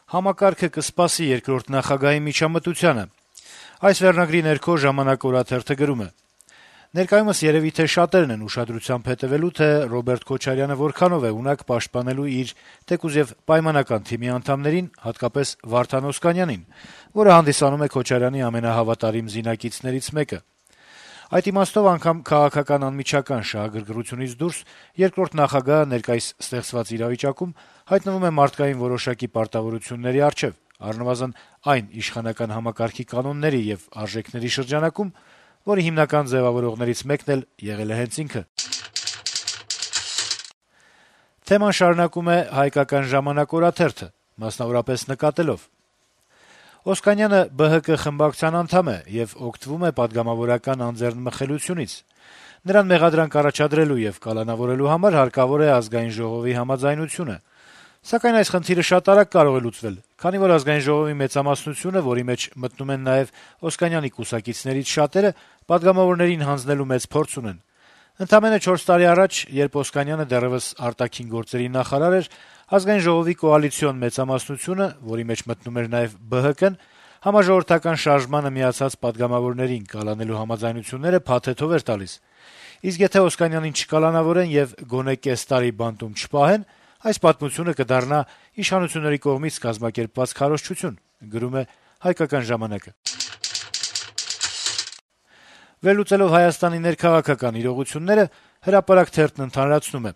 Համակարգը կսպասի երկրորդ նախագահի միջամտությանը։ Այս վերնագրի ներքո «Ժամանակ» օրաթերթը գրում է. - «Ներկայումս երեւի թե շատերն են ուշադրությամբ հետեւելու, թե Ռոբերտ Քոչարյանը որքանով է ունակ պաշտպանելու իր թեկուզ եւ պայմանական թիմի անդամներին, հատկապես Վարդան Օսկանյանին, որը հանդիսանում է Քոչարյանի ամենահավատարիմ զինակիցներից մեկը։ Այդ իմաստով անգամ քաղաքական անմիջական շահագրգռությունից դուրս երկրորդ նախագահը ներկայիս ստեղծված իրավիճակում հայտնվում է մարդկային որոշակի պարտավորությունների առջեւ, առնվազն այն իշխանական համակարգի կանոնների եւ արժեքների շրջանակում, որի հիմնական ձեւավորողներից մեկն էլ եղել է հենց ինքը»։ Թեման շարունակում է «Հայկական ժամանակ» օրաթերթը, մասնավորապես նկատելով. - «Օսկանյանը ԲՀԿ խմբակցության անդամ է եւ օգտվում է պատգամավորական անձեռնմխելիությունից։ Նրան մեղադրանք առաջադրելու եւ կալանավորելու համար հարկավոր է Ազգային ժողովի համաձայնությունը։ Սակայն այս խնդիրը շատ արագ կարող է լուծվել, քանի որ Ազգային ժողովի մեծամասնությունը, որի մեջ մտնում են նաեւ Օսկանյանի կուսակիցներից շատերը, պատգամավորներին հանձնելու մեծ փորձ ունեն։ Ընդամենը 4 տարի առաջ, երբ Օսկանյանը դեռեւս արտաքին գործերի նախարար էր, Ազգային ժողովի կոալիցիոն մեծամասնությունը, որի մեջ մտնում էր նաեւ ԲՀԿ-ն, համաժողովրդական շարժմանը միացած պատգամավորներին կալանելու համաձայնությունները փաթեթով էր տալիս։ Իսկ եթե Օսկանյանին չկալանավորեն եւ գոնե կես տարի բանտում չպահեն, այս պատմությունը կդառնա իշխանությունների կողմից կազմակերպված քարոզչություն», գրում է «Հայկական ժամանակ»-ը։ Վերլուծելով Հայաստանի ներքաղաքական իրողությունները, «Հրապարակ» թերթն ընդհանրացնում է.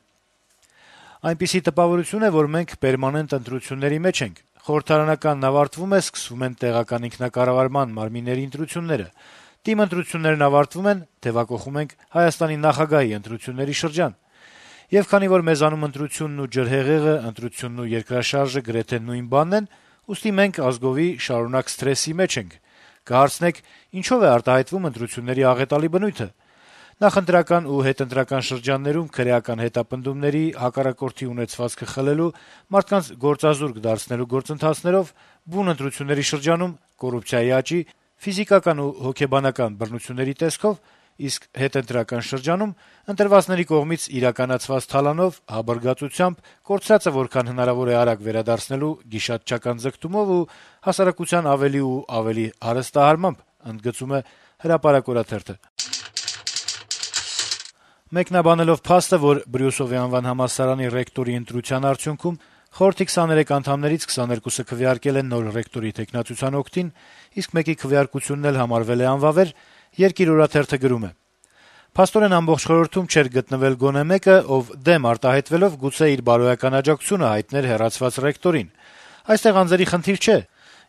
- «Այնպիսի տպավորություն է, որ մենք պերմանենտ ընտրությունների մեջ ենք։ Խորհրդարանականն ավարտվում է, սկսվում են տեղական ինքնակառավարման մարմինների ընտրությունները։ ՏԻՄ ընտրություններն ավարտվում են, թեւակոխում ենք Հայաստանի նախագահի ընտրությունների շրջան։ Եվ քանի որ մեզանում ընտրությունն ու ջրհեղեղը, ընտրությունն ու երկրաշարժը գրեթե նույն բանն են, ուստի մենք ազգովի շարունակ սթրեսի մեջ ենք։ Կհարցնեք՝ ինչո՞վ է արտահայտվում ընտրությունների աղետալի բնույթը։ Նախընտրական ու հետընտրական շրջաններում քրեական հետապնդումների, հակառակորդի ունեցվածքը խլելու, մարդկանց գործազուրկ դարձնելու գործընթացներով, բուն ընտրությունների շրջանում կոռուպցիայի աճի, ֆիզիկական ու հոգեբանական բռնությունների տեսքով, իսկ հետընտրական շրջանում ընտրվածների կողմից իրականացված թալանով, հաբռգածությամբ, կորցրածը որքան հնարավոր է արագ վերադարձնելու գիշատչական ձգտումով ու հասարակության ավելի ու ավելի հարստահարմամբ», ընդգծում է «Հրապարակ» օրաթերթը։ Մեկնաբանելով փաստը, որ Բրյուսովի անվան համալսարանի ռեկտորի ընտրության արդյունքում խորհրդի 23 անդամներից 22-ը քվեարկել են նոր ռեկտորի թեկնածության օգտին, իսկ մեկի քվեարկությունն էլ համարվել է անվավեր, «Երկիր» օրաթերթը գրում է. - «Փաստորեն ամբողջ խորհրդում չէր գտնվել գոնե մեկը, ով դեմ արտահայտվելով գուցե իր բարոյական աջակցությունը հայտներ հեռացված ռեկտորին։ Այստեղ անձերի խնդիր չէ։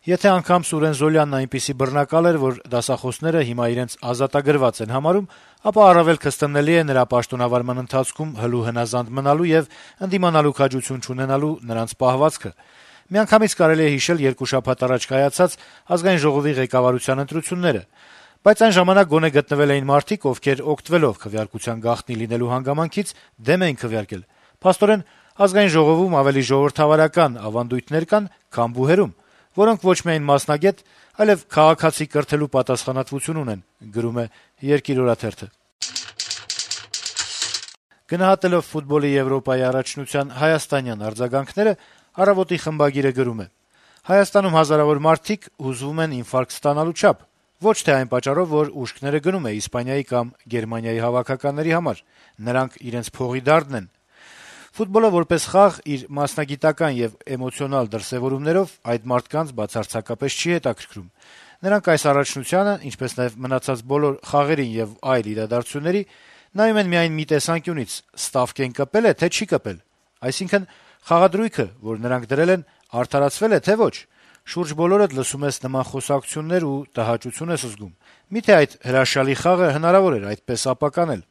Եթե անգամ Սուրեն Զոլյանն այնպիսի բռնակալ էր, որ դասախոսները հիմա իրենց ազատագրված են համարում, ապա առավել քստմնելի է նրա պաշտոնավարման ընթացքում հլու հնազանդ մնալու եւ ընդդիմանալու քաջություն չունենալու նրանց պահվածքը։ Միանգամից կարելի է հիշել 2 շաբաթ առաջ կայացած Ազգային ժողովի ղեկավարության ընտրությունները, բայց այն ժամանակ գոնե գտնվել էին մարդիկ, ովքեր օգտվելով քվեարկության գաղտնի լինելու հանգամանքից դեմ էին քվեարկել։ Փաստորեն Ազգային ժողովում ավելի ժողովրդավարական ավանդույթներ կան, քան բուհերում, որոնք ոչ միայն մասնագետ, այլև քաղաքացի կրթելու պատասխանատվություն ունեն», գրում է «Երկիր» օրաթերթը։ Գնահատելով ֆուտբոլի Եվրոպայի առաջնության հայաստանյան արձագանքները, «Առավոտ»-ի խմբագիրը գրում է. - «Հայաստանում հազարավոր մարդիկ հուզվում են ինֆարկտ ստանալու չափ, ոչ թե այն պատճառով, որ ուշքները գնում է Իսպանիայի կամ Գերմանիայի հավաքականների համար, նրանք իրենց փողի դարդն են։ Ֆուտբոլը որպես խաղ իր մասնագիտական եւ էմոցիոնալ դրսեւորումներով այդ մարդկանց բացարձակապես չի հետաքրքրում։ Նրանք այս առաջնությանը, ինչպես նաեւ մնացած բոլոր խաղերին եւ այլ իրադարձությունների նայում են միայն մի տեսանկյունից՝ ստավկեն կպել է, թե չի կպել։ Այսինքն՝ խաղադրույքը, որ նրանք դրել են, արդարացվել է, թե ոչ։ Շուրջ բոլորդ լսում ես նման խոսակցություններ ու տհաճություն ես զգում։ Միթե այդ հրաշալի խաղը հնարավոր էր այդպես ապականել։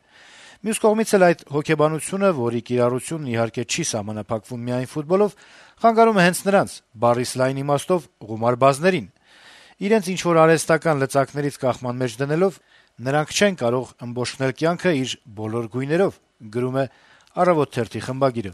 Մյուս կողմից էլ այդ հոգեբանությունը, որի կիրառությունն իհարկե չի սահմանափակվում միայն ֆուտբոլով, խանգարում է հենց նրանց՝ բառիս լայն իմաստով ղումարբազներին։ Իրենց ինչ-որ արհեստական լծակներից կախման մեջ դնելով՝ նրանք չեն կարող ըմբոշխնել կյանքը իր բոլոր գույներով», գրում է «Առավոտ» թերթի խմբագիրը։